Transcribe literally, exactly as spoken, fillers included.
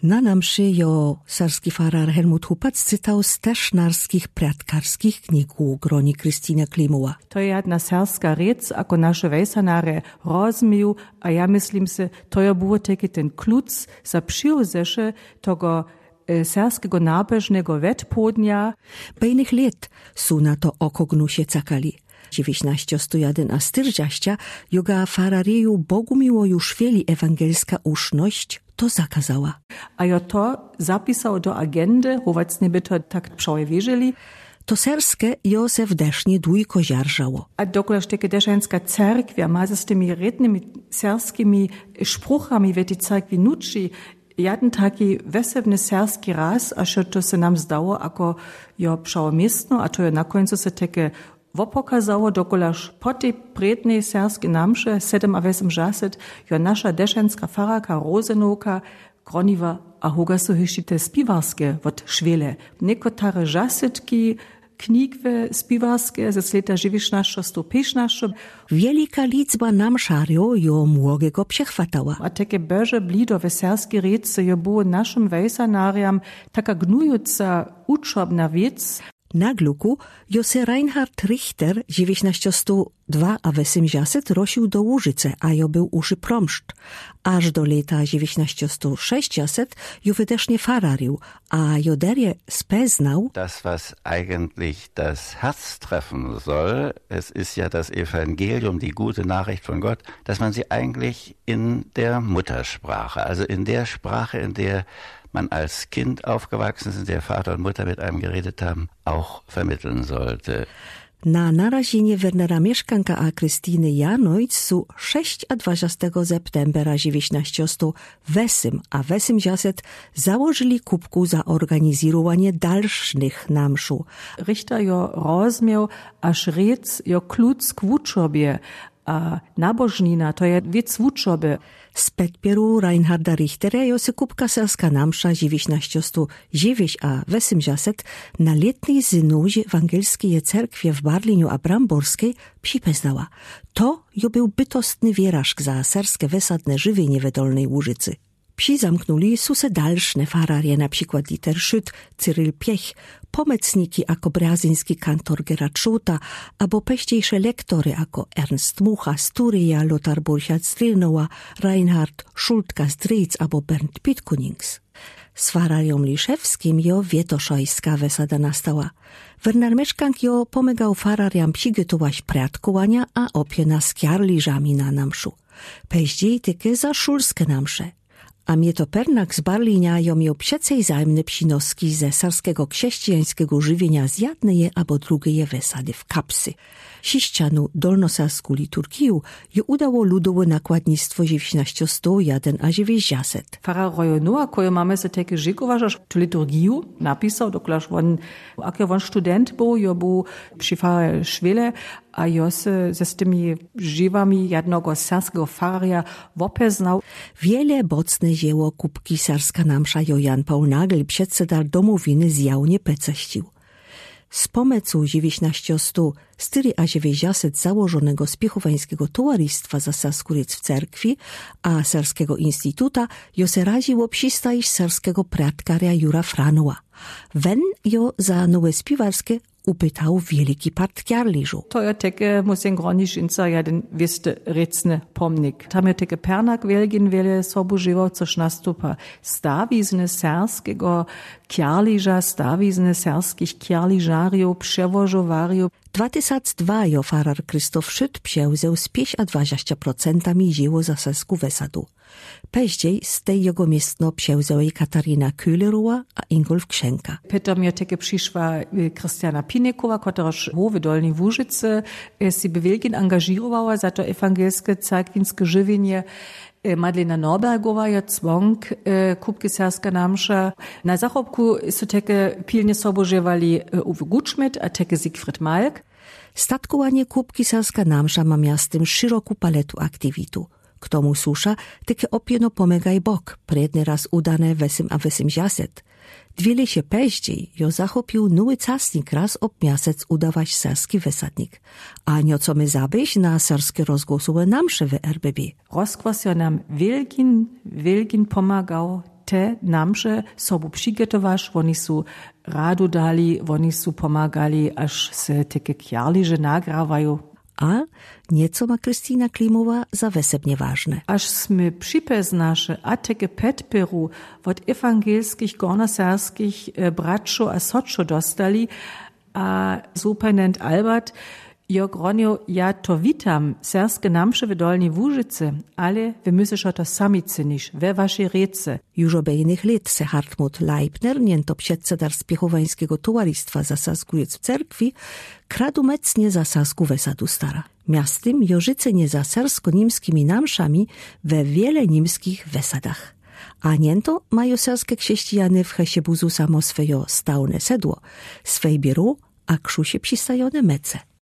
Na namszy jo serski farar Helmut Hupac cytał z tesznarskich prjatkarskich knigów w gronie Krystyna Klimowa. To je jedna serska rěc, ako naše wejsanarje rozmiju, a ja myslim se, to jo było teky ten kluc za přijewzeše togo, e, serskego nabežnego wetpłodnja. Bejnych lět su na to okognusie cakali. Dźewjećnaśćesto jedyn a sztyrdzieści, joga farareju Bogumiłoju Szweli ewangelska uszność to zakazała. A jo to zapisał do agendy, chowacnie by to tak przewierzili. To serske jo se w Desznie dłujko żarżało. A dokola szteke Deszańska cerkwia ma z tymi rědnymi serskimi szpruchami w tej cerkwi nuči, jeden taki wesebny serski raz, a še to se nam zdało, ako jo přełomiestno, a to jo na końcu se teke wopokazało, dokolaž po tej prědnej serskej namše sedem a wesem žaset jo naša dešeńska fararka Rozenowka groniwa a hogasu hišće te spiwarske wot Šwele. Někotare žasetki knjigwe spiwarske ze slěta žiwišnašćo sto pišnašćo. Wielika liczba namszarjow jo młogego přechwatała. A teke bože blido we serski rěce jo było našim wejsanarjam taka gnujuca učobna wěc. Na gluku jo se Reinhard Richter žiwišnašćo sto dwa a wesem žaset rošił do Łužice, a jo był uši promszcz. Aż do lěta žiwišnašćo sto szesćdżaset jo w Desznie fararił, a jo derje speznał. Das, was eigentlich das Herz treffen soll, es ist ja das Evangelium, die gute Nachricht von Gott, dass man sie eigentlich in der Muttersprache, also in der Sprache, in der man als Kind aufgewachsen ist, in der Vater und Mutter mit einem geredet haben, auch vermitteln sollte. Na narażenié Wernera Mieszkanka a Krystyny Janojc su szesćadwadzestego septembra žiwišnašćo sto wesem a wesem žaset założyli kupku za organizirowanié dalszych namszow. Richter jo rozmiał, a rěc jo kluc k wuczobie, a nabožnina to je wěc wuczoby. Z podpěru Reinharda Richtera jo se kupka serska namsza žiwišnašćo sto žiwiš a wesem žaset na lětnej synodzie ewangelskeje cerkwje w Barlinju a Bramborskej připeznała. To jo był bytostny wirażk za serske wesadne żywienié we Dolnej Łužicy. Přizamknuli su se dalszne fararje, na przikład Dieter Schütt, Cyril Piech, pomocniki ako brjazyński kantor Gerhard Szułta, abo peźdzejsze lektory ako Ernst Mucha, Sturia, Lothar Burchard z Drilnowa, Reinhard Schultka z Drilc abo Bernd Pitkunings. Z fararjom Liszewskim jo wietoszajska wesada nastała. Werner Mieszkank jo pomagał fararjam przigòtować prjatkowania a opiena z kjarliżami na namszu. Peźdzej teke za szulske namsze. A Mieto Pernak z Barlinia jo miôł przecej zajmne przinoski ze serskego krzescijańskego żywienia z jadneje abo drugeje wesady w kapsy. Sziszczanu dolnosersku liturgiju jo udało ludowe nakładnictwo žiwišnašćo sto jedyn a žiwiš žaset. Farar Rojo Nowa, kotreho mamy se teke žikowała, że tu liturgiju napisał, dokolaż won, ak jo won student był, jo był při fararje Šwele, a jo se z tymi žiwami jednego serskego fararja wopeznał. Wiele bocne dzieło kupki Serska Namsza jo Jan Paul Nagel, przedsedar Domowiny, zjawnie peceszcził. Z pomocu žiwišnašćo sto sztyri a žiwiš žaset założonego Spiechòwańskeje Towarzystwa za serską rěc w cerkwi a Serskego Instituta jo se raziło przistajeć serskego prjatkarja Jura Franowa. Wen jo za nowe spiwarske upytał wielki part kjarliżow. To jo teke, musym gronić, inca jeden wěsty rěcny pomnik. Tam jo teke Pernak Wielgin wiele sobu žiwała, což nastupa stawizny serskeje kjarliża, stawizny serskich kjarliżarjow, przewożowarjow. Dwa tysac dwa jo farar Christoph Schütt przewzeł z pieszaddwadzesce procentami dzieło za serską wesadu. Peźdzej z tej jego miestno przewzałej Katarina Köhlerowa a Ingolf Krzęka. Potom jo teke přišła, e, Krystiana Pinekowa, kotraż w Dolnej Łužicy, e, se bě Wielgin angażirowała za to ewangelske cerkwinske żywienié. E, Madlena Norbergowa jo cłonk, e, kupki Serska Namsza. Na zachopku su teke pilnje sobu žiwali, e, Uwe Gutschmidt a teke Siegfried Malk. Statkowanié kupki Serska Namsza ma mjeztym szeroką paletu aktiwitów. K tomu słusza teke opieno Pomagaj Bóg, prědny rôz udane wesym a wesym žaset. Dwie lěće peźdzej jo zachopił nowy casnik rôz ob mjesec udawać serski wesadnik. A nioco mie zaběć na serske rozgłosowe namsze w R B B. Rozgłos jo nam wielgin, wielgin pomagał te namsze sobu przigetowaš, woni su radu dali, woni su pomagali, až se teke kjarliže nagrawajo. A njeco ma Kristina Klimowa za wesebnje wažne. Až smy připez naše a teke pedperu wot ewangelskich gornoserskich braćo a sočo dostali, a superintendent Albert jo gronjo: „Ja to witam, serske namše w Dolnjej Łužicy, ale wy musite to sami cynić we waši rěce.” Juž obe jinych let se Hartmut Leipner, njento předsedar spěchowańskego towaristwa za sasku jěc w cerkwi, kradumecnje za sasku wesadu stara. Mjaztym jo życynje za sersko-nimskimi namszami we wiele nimskich wesadach. A njento majo serske krzesćijany w Cheszebuzu samo swejo stałne sedło, swej biro a krzusje przistajone mece.